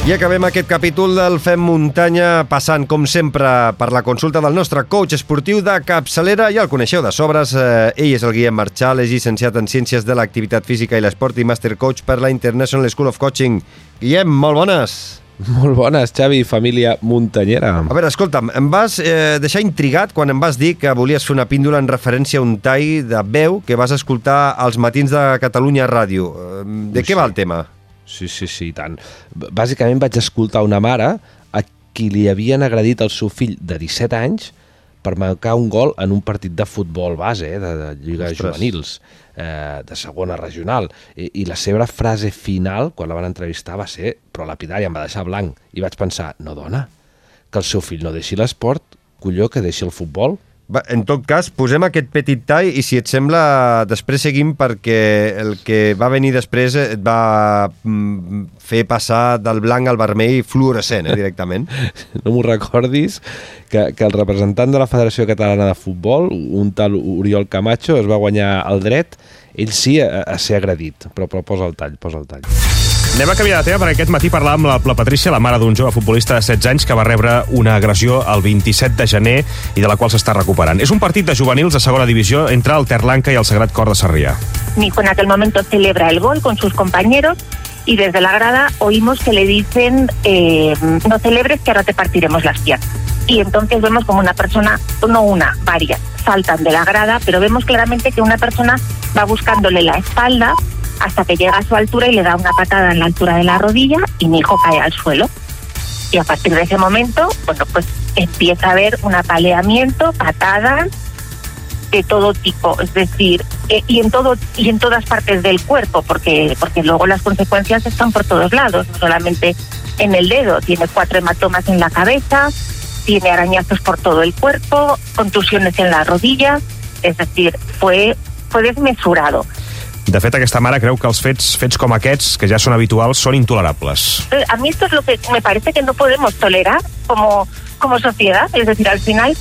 I acabem aquest capítol del Fem Muntanya passant, com sempre, per la consulta del nostre coach esportiu de capçalera. Ja el coneixeu de sobres. Ell és el Guillem Marchal, és llicenciat en Ciències de l'Activitat Física i l'Esport i Master Coach per la International School of Coaching. Guillem, molt bones. Molt bones, Xavi, família muntanyera. A veure, escolta'm, em vas deixar intrigat quan em vas dir que volies fer una píndola en referència a un tall de veu que vas escoltar als matins de Catalunya Ràdio. De què va el tema? Sí, tant. Bàsicament vaig escoltar una mare a qui li havien agredit el seu fill de 17 anys per marcar un gol en un partit de futbol base, de Lliga Juvenils, de segona regional. I la seva frase final, quan la van entrevistar, va ser però lapidària, em va deixar blanc. I vaig pensar, no, dona, que el seu fill no deixi l'esport, colló, que deixi el futbol. En tot cas, posem aquest petit tall i, si et sembla, després seguim, perquè el que va venir després et va fer passar del blanc al vermell fluorescent, directament. No m'ho recordis, que el representant de la Federació Catalana de Futbol, un tal Oriol Camacho, es va guanyar el dret, ell sí, a ser agredit. Però posa el tall. Anem a canviar de tema, perquè aquest matí parlàvem amb la Patrícia, la mare d'un jove futbolista de 16 anys que va rebre una agressió el 27 de gener i de la qual s'està recuperant. És un partit de juvenils de segona divisió entre el Terlanca i el Sagrat Cor de Sarrià. Mi hijo en aquel momento celebra el gol con sus compañeros y desde la grada oímos que le dicen no celebres que ahora te partiremos las piernas. Y entonces vemos como una persona, varias, saltan de la grada, pero vemos claramente que una persona va buscándole la espalda hasta que llega a su altura y le da una patada en la altura de la rodilla y mi hijo cae al suelo. Y a partir de ese momento, pues empieza a haber un apaleamiento, patadas de todo tipo, es decir, y en todas partes del cuerpo, porque luego las consecuencias están por todos lados, no solamente en el dedo. Tiene 4 hematomas en la cabeza, tiene arañazos por todo el cuerpo, contusiones en la rodilla, es decir, fue desmesurado. De fet, aquesta mare creu que els fets com aquests, que ja són habituals, són intolerables. A mí esto es lo que me parece que no podemos tolerar como sociedad. Es decir, al final,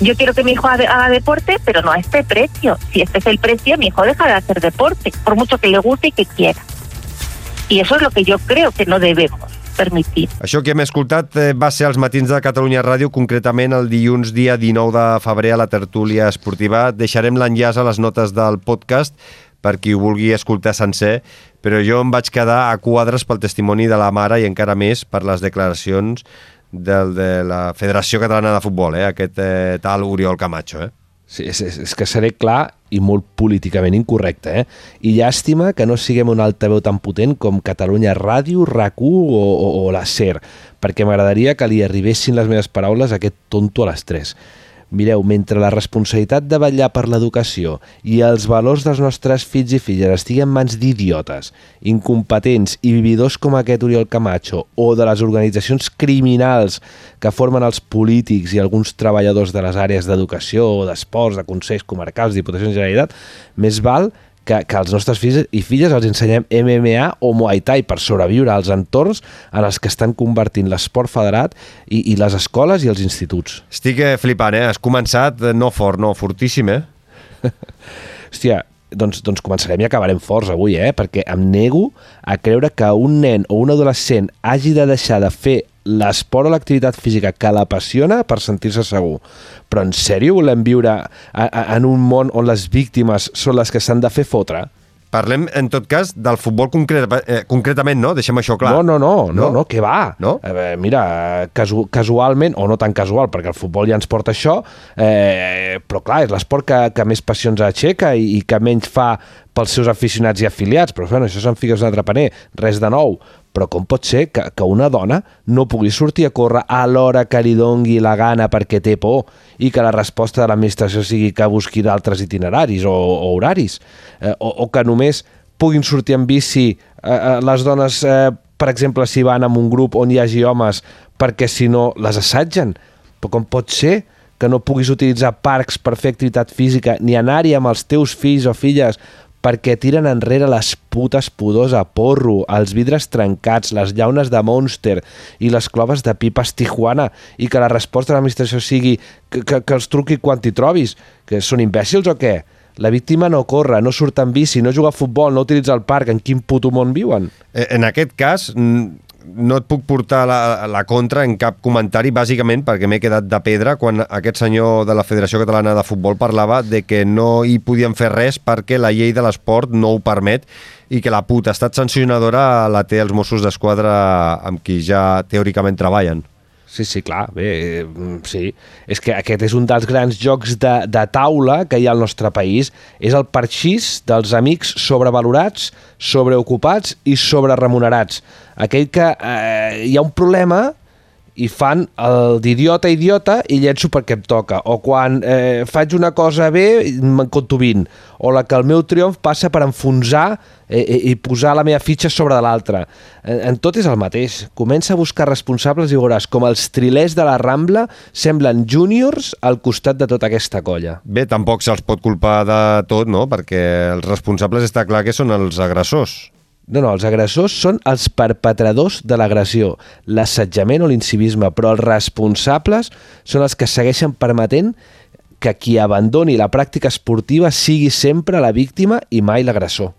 yo quiero que mi hijo haga deporte, pero no a este precio. Si este es el precio, mi hijo deja de hacer deporte, por mucho que le guste y que quiera. Y eso es lo que yo creo que no debemos permitir. Això que hem escoltat va ser als matins de Catalunya Ràdio, concretament el dilluns dia 19 de febrer a la tertúlia esportiva. Deixarem l'enllaç a les notes del podcast per qui ho vulgui escoltar sencer, però jo em vaig quedar a quadres pel testimoni de la mare i encara més per les declaracions de la Federació Catalana de Futbol, aquest tal Oriol Camacho. Sí, és que seré clar i molt políticament incorrecte, I llàstima que no siguem un altaveu tan potent com Catalunya Ràdio, RAC1 o la SER, perquè m'agradaria que li arribessin les meves paraules a aquest tonto a les 3. Mireu, mentre la responsabilitat de vetllar per l'educació i els valors dels nostres fills i filles estigui en mans d'idiotes, incompetents i vividors com aquest Oriol Camacho o de les organitzacions criminals que formen els polítics i alguns treballadors de les àrees d'educació, d'esports, de consells comarcals, Diputacions de Generalitat, més val que als nostres fills i filles els ensenyem MMA o Muay Thai per sobreviure als entorns en els que estan convertint l'esport federat i les escoles i els instituts. Estic flipant, Has començat no fort, no, fortíssim, Hòstia, doncs començarem i acabarem forts avui, perquè em nego a creure que un nen o un adolescent hagi de deixar de fer l'esport o l'activitat física que l'apassiona per sentir-se segur. Però en sèrio volem viure en un món on les víctimes són les que s'han de fer fotre? Parlem, en tot cas, del futbol concretament, no? Deixem això clar. No, què va? No? Mira, casualment, o no tan casual, perquè el futbol ja ens porta això, però clar, és l'esport que més passions aixeca i que menys fa pels seus aficionats i afiliats, però bueno, això se'n fica un altre paner, res de nou. Però com pot ser que una dona no pugui sortir a córrer a l'hora que li dongui la gana perquè té por i que la resposta de l'administració sigui que busqui d'altres itineraris o horaris? O que només puguin sortir en bici les dones, per exemple, si van en un grup on hi hagi homes, perquè si no les assetgen? Però com pot ser que no puguis utilitzar parcs per fer activitat física ni anar-hi amb els teus fills o filles perquè tiren enrere les putes pudors a porro, els vidres trencats, les llaunes de Monster i les cloves de pipes Tijuana, i que la resposta de l'administració sigui que els truqui quan t'hi trobis? Que són imbècils o què? La víctima no corre, no surt en bici, no juga a futbol, no utilitza el parc. En quin puto món viuen? En aquest cas, no et puc portar la contra en cap comentari, bàsicament perquè m'he quedat de pedra quan aquest senyor de la Federació Catalana de Futbol parlava de que no hi podien fer res perquè la llei de l'esport no ho permet i que la potestat sancionadora la té els Mossos d'Esquadra amb qui ja teòricament treballen. Sí, clar, bé, sí. És que aquest és un dels grans jocs de taula que hi ha al nostre país. És el parxís dels amics sobrevalorats, sobreocupats i sobreremunerats. Aquell que hi ha un problema i fan el d'idiota a idiota i llenço perquè em toca. O quan faig una cosa bé, me'n conto 20. O la que el meu triomf passa per enfonsar i posar la meva fitxa sobre de l'altra. En tot és el mateix. Comença a buscar responsables i veuràs com els trilers de la Rambla semblen júniors al costat de tota aquesta colla. Bé, tampoc se'ls pot culpar de tot, no? Perquè els responsables està clar que són els agressors. No, els agressors són els perpetradors de l'agressió, l'assetjament o l'incivisme, però els responsables són els que segueixen permetent que qui abandoni la pràctica esportiva sigui sempre la víctima i mai l'agressor.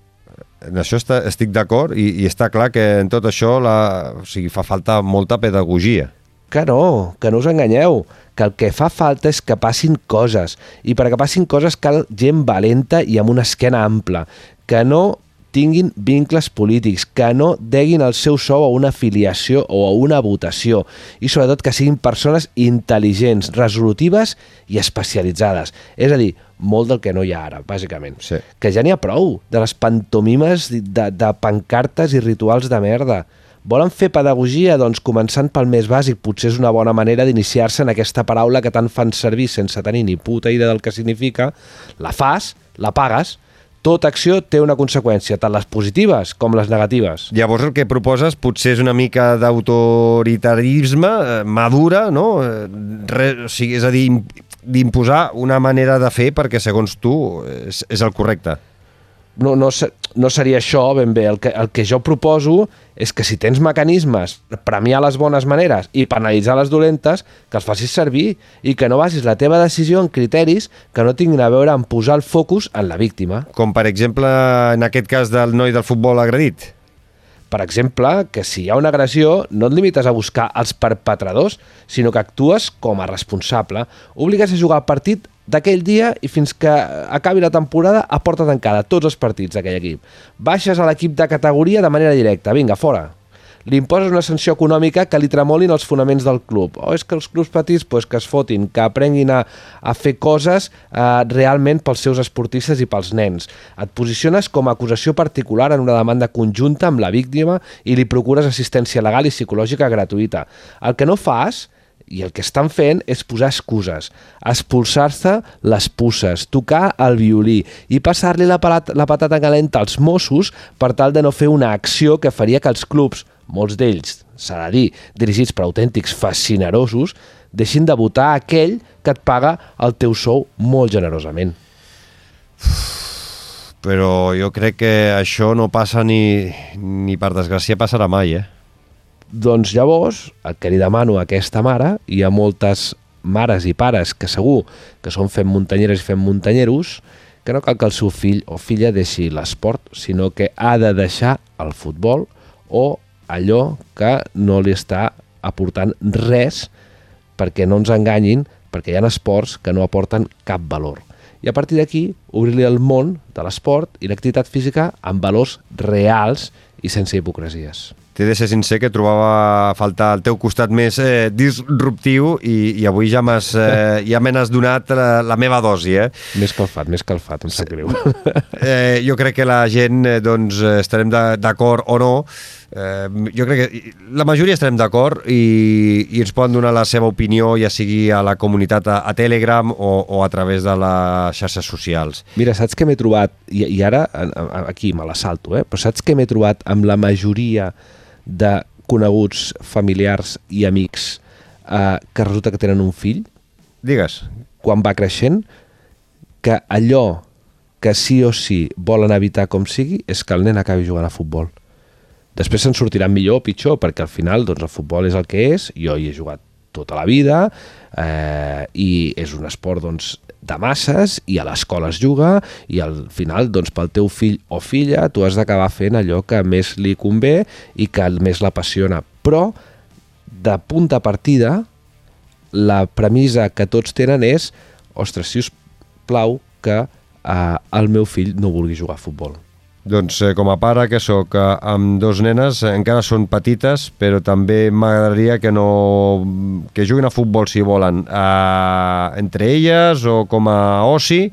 En això estic d'acord i està clar que en tot això fa falta molta pedagogia. Que no us enganyeu, que el que fa falta és que passin coses, i perquè passin coses cal gent valenta i amb una esquena ampla, que no tinguin vincles polítics, que no deguin el seu sou a una afiliació o a una votació i sobretot que siguin persones intel·ligents, resolutives i especialitzades. És a dir, molt del que no hi ha ara, bàsicament. Sí. Que ja n'hi ha prou de les pantomimes de pancartes i rituals de merda. Volen fer pedagogia? Doncs començant pel més bàsic, potser és una bona manera d'iniciar-se en aquesta paraula que tant fan servir sense tenir ni puta idea del que significa. La fas, la pagues. Tota acció té una conseqüència, tant les positives com les negatives. Llavors el que proposes potser és una mica d'autoritarisme madura, no? És a dir, d'imposar una manera de fer perquè segons tu és el correcte. No seria això ben bé. El que jo proposo és que si tens mecanismes per premiar les bones maneres i penalitzar les dolentes, que els facis servir i que no basis la teva decisió en criteris que no tinguin a veure amb posar el focus en la víctima. Com per exemple en aquest cas del noi del futbol agredit. Per exemple, que si hi ha una agressió no et limites a buscar els perpetradors, sinó que actues com a responsable. Obligues a jugar el partit d'aquell dia i fins que acabi la temporada a porta tancada, tots els partits d'aquell equip. Baixes a l'equip de categoria de manera directa, vinga, fora. Li imposes una sanció econòmica que li tremolin els fonaments del club. O és que els clubs petits que es fotin, que aprenguin a fer coses realment pels seus esportistes i pels nens. Et posiciones com a acusació particular en una demanda conjunta amb la víctima i li procures assistència legal i psicològica gratuïta. El que no fas i el que estan fent és posar excuses, expulsar-se les puces, tocar el violí i passar-li la patata calenta als Mossos per tal de no fer una acció que faria que els clubs, molts d'ells, s'ha de dir, dirigits per autèntics fascinerosos, deixin de votar aquell que et paga el teu sou molt generosament. Però jo crec que això no passa ni per desgràcia passarà mai, Doncs llavors, el que li demano a aquesta mare, i a moltes mares i pares que segur que són fent muntanyeres i fent muntanyeros, que no cal que el seu fill o filla deixi l'esport, sinó que ha de deixar el futbol o allò que no li està aportant res, perquè no ens enganyin, perquè hi ha esports que no aporten cap valor. I a partir d'aquí, obrir-li el món de l'esport i l'activitat física amb valors reals i sense hipocresies. T'he de ser sincer que trobava a faltar el teu costat més disruptiu i avui ja me n'has donat la meva dosi, Més calfat, em sap greu. Jo crec que la gent estarem d'acord o no. Jo crec que la majoria estarem d'acord i ens poden donar la seva opinió, ja sigui a la comunitat a Telegram o a través de les xarxes socials. Mira, saps què m'he trobat? I ara aquí me la salto, però saps què m'he trobat amb la majoria de coneguts, familiars i amics que resulta que tenen un fill? Digues. Quan va creixent, que allò que sí o sí volen evitar com sigui és que el nen acabi jugant a futbol. Després se'n sortiran millor o pitjor, perquè al final el futbol és el que és, jo hi he jugat tota la vida i és un esport de masses i a l'escola es juga i al final pel teu fill o filla tu has d'acabar fent allò que més li convé i que més l'apassiona. però de punt de partida la premissa que tots tenen és ostres, si us plau que el meu fill no vulgui jugar a futbol. Doncs com a pare que sóc, amb dos nenes, encara són petites, però també m'agradaria que juguin a futbol si volen, entre elles o com a oci,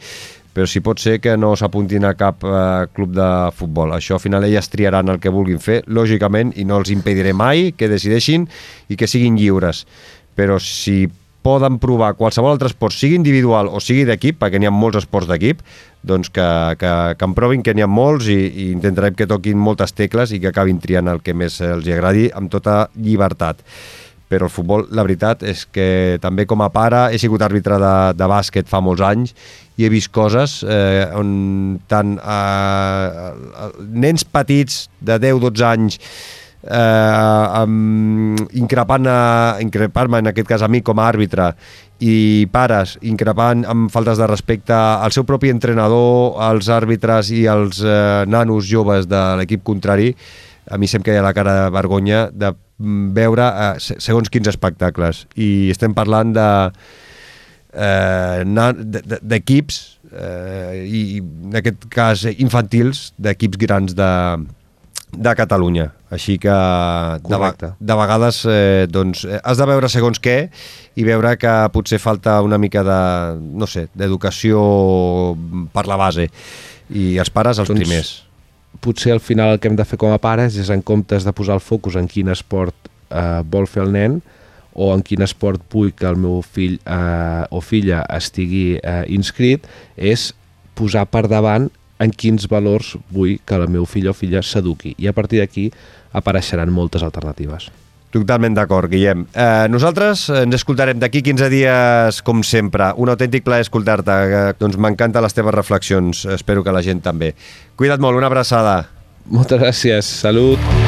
però si pot ser que no s'apuntin a cap club de futbol. Això al final elles triaran el que vulguin fer, lògicament, i no els impediré mai que decideixin i que siguin lliures. Però si poden provar qualsevol altre esport, sigui individual o sigui d'equip, perquè n'hi ha molts esports d'equip, doncs que en provin, que n'hi ha molts, i intentarem que toquin moltes tecles i que acabin triant el que més els agradi amb tota llibertat. Però el futbol, la veritat és que també com a pare he sigut àrbitre de bàsquet fa molts anys i he vist coses on tant nens petits de 10-12 anys increpant-me en aquest cas a mi com a àrbitre, i pares increpant amb faltes de respecte al seu propi entrenador, als àrbitres i als nanos joves de l'equip contrari, a mi sempre hi ha la cara de vergonya de veure segons quins espectacles. I estem parlant d'equips i en aquest cas infantils, d'equips grans de Catalunya. Així que de vegades doncs, has de veure segons què i veure que potser falta una mica d'educació per la base, i els pares els primers. Potser al final el que hem de fer com a pares és, en comptes de posar el focus en quin esport vol fer el nen o en quin esport vull que el meu fill o filla estigui inscrit, és posar per davant en quins valors vull que el meu fill o filla s'eduqui, i a partir d'aquí apareixeran moltes alternatives. Totalment d'acord, Guillem. Nosaltres ens escoltarem d'aquí 15 dies, com sempre. Un autèntic plaer escoltar-te. Doncs m'encanten les teves reflexions. Espero que la gent també. Cuida't molt, una abraçada. Moltes gràcies. Salut.